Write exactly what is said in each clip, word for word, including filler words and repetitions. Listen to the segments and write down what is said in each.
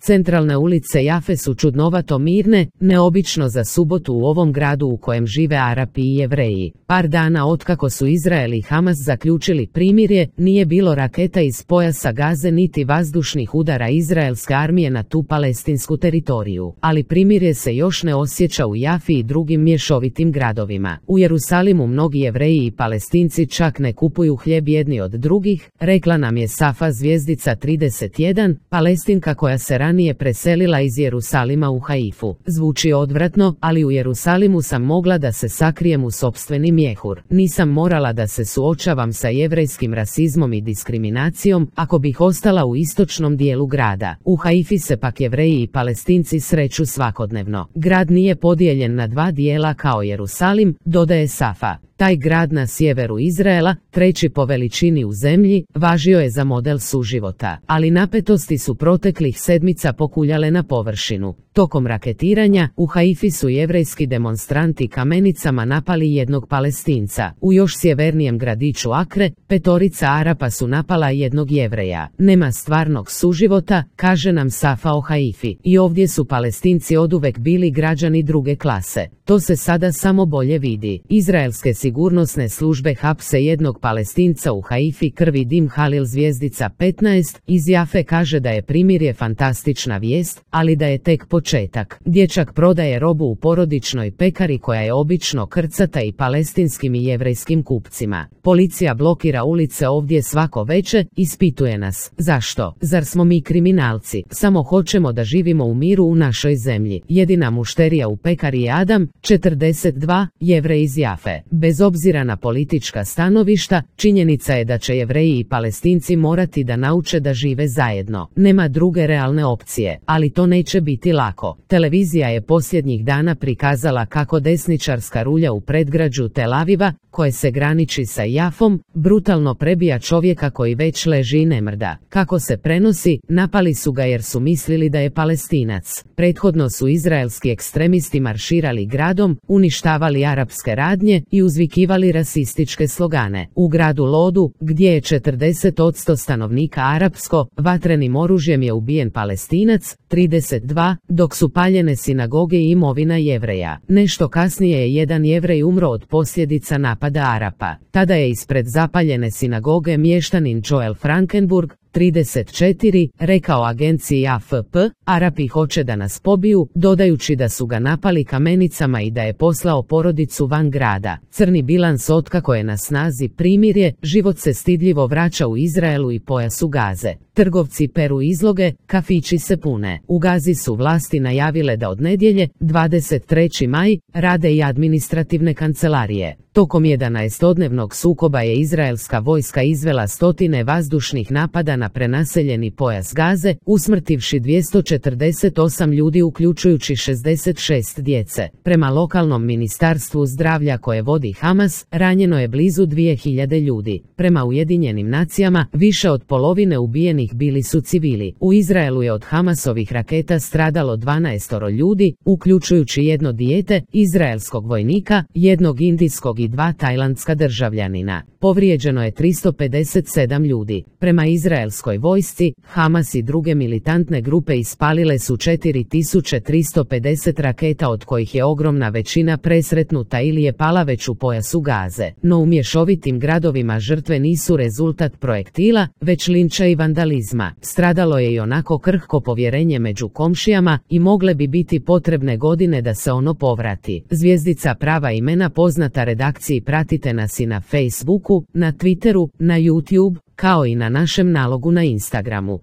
Centralne ulice Jafe su čudnovato mirne, neobično za subotu u ovom gradu u kojem žive Arapi i Jevreji. Par dana otkako su Izrael i Hamas zaključili primirje, nije bilo raketa iz pojasa Gaze niti vazdušnih udara izraelske armije na tu palestinsku teritoriju. Ali primirje se još ne osjeća u Jafi i drugim mješovitim gradovima. U Jerusalimu mnogi Jevreji i Palestinci čak ne kupuju hljeb jedni od drugih, rekla nam je Safa Zvijezdica trideset jedan, Palestinka koja se ranije preselila iz Jerusalima u Haifu. Zvuči odvratno, ali u Jerusalimu sam mogla da se sakrijem u sopstveni mjehur. Nisam morala da se suočavam sa jevrejskim rasizmom i diskriminacijom, ako bih ostala u istočnom dijelu grada. U Haifi se pak Jevreji i Palestinci sreću svakodnevno. Grad nije podijeljen na dva dijela kao Jerusalim, dodaje Safa. Taj grad na sjeveru Izraela, treći po veličini u zemlji, važio je za model suživota, ali napetosti su proteklih sedmica pokuljale na površinu. Tokom raketiranja, u Haifi su jevrejski demonstranti kamenicama napali jednog Palestinca. U još sjevernijem gradiću Akre, petorica Arapa su napala jednog Jevreja. Nema stvarnog suživota, kaže nam Safa o Haifi. I ovdje su Palestinci oduvek bili građani druge klase. To se sada samo bolje vidi. Izraelske sigurnosne službe hapse jednog Palestinca u Haifi, krvi dim Halil Zvijezdica petnaest, iz Jafe kaže da je primirje fantastična vijest, ali da je tek početak. Dječak prodaje robu u porodičnoj pekari koja je obično krcata i palestinskim i jevrejskim kupcima. Policija blokira ulice ovdje svako veče, ispituje nas. Zašto? Zar smo mi kriminalci? Samo hoćemo da živimo u miru u našoj zemlji. Jedina mušterija u pekari je Adam, četrdeset dva, Jevrej iz Jafe. Bez obzira na politička stanovišta, činjenica je da će Jevreji i Palestinci morati da nauče da žive zajedno. Nema druge realne opcije, ali to neće biti lako. Televizija je posljednjih dana prikazala kako desničarska rulja u predgrađu Tel Aviva, koje se graniči sa Jafom, brutalno prebija čovjeka koji već leži i ne mrda. Kako se prenosi, napali su ga jer su mislili da je Palestinac. Prethodno su izraelski ekstremisti marširali gradom, uništavali arapske radnje i uzvikivali rasističke slogane. U gradu Lodu, gdje je četrdeset posto stanovnika arapsko, vatrenim oružjem je ubijen Palestinac, trideset dva, dok su paljene sinagoge i imovina Jevreja. Nešto kasnije je jedan Jevrej umro od posljedica napada Arapa. Tada je ispred zapaljene sinagoge mještanin Joel Frankenburg, trideset četiri, rekao agenciji A F P, Arapi hoće da nas pobiju, dodajući da su ga napali kamenicama i da je poslao porodicu van grada. Crni bilans otkako je na snazi primirje, život se stidljivo vraća u Izraelu i pojasu Gaze. Trgovci peru izloge, kafići se pune. U Gazi su vlasti najavile da od nedjelje, dvadeset treći maj, rade i administrativne kancelarije. Tokom jedanaestodnevnog sukoba je izraelska vojska izvela stotine vazdušnih napada na prenaseljeni pojas Gaze, usmrtivši dvjesto četrdeset osam ljudi uključujući šezdeset šest djece. Prema lokalnom ministarstvu zdravlja koje vodi Hamas, ranjeno je blizu dvije hiljade ljudi. Prema Ujedinjenim nacijama, više od polovine ubijenih bili su civili. U Izraelu je od Hamasovih raketa stradalo dvanaestoro ljudi, uključujući jedno dijete, izraelskog vojnika, jednog indijskog i dva tajlandska državljanina. Povrijeđeno je tristo pedeset sedam ljudi. Prema izraelskoj vojsci, Hamas i druge militantne grupe ispalile su četiri tisuće tristo pedeset raketa, od kojih je ogromna većina presretnuta ili je pala već u pojasu Gaze. No u mješovitim gradovima žrtve nisu rezultat projektila, već linča i vandalizma. Stradalo je i onako krhko povjerenje među komšijama i mogle bi biti potrebne godine da se ono povrati. Zvijezdica prava imena poznata redakciji, pratite nas i na Facebooku, na Twitteru, na YouTube, kao i na našem nalogu na Instagramu.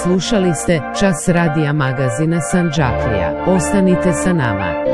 Slušali ste Čas radija magazina Sandžaklija. Ostanite sa nama.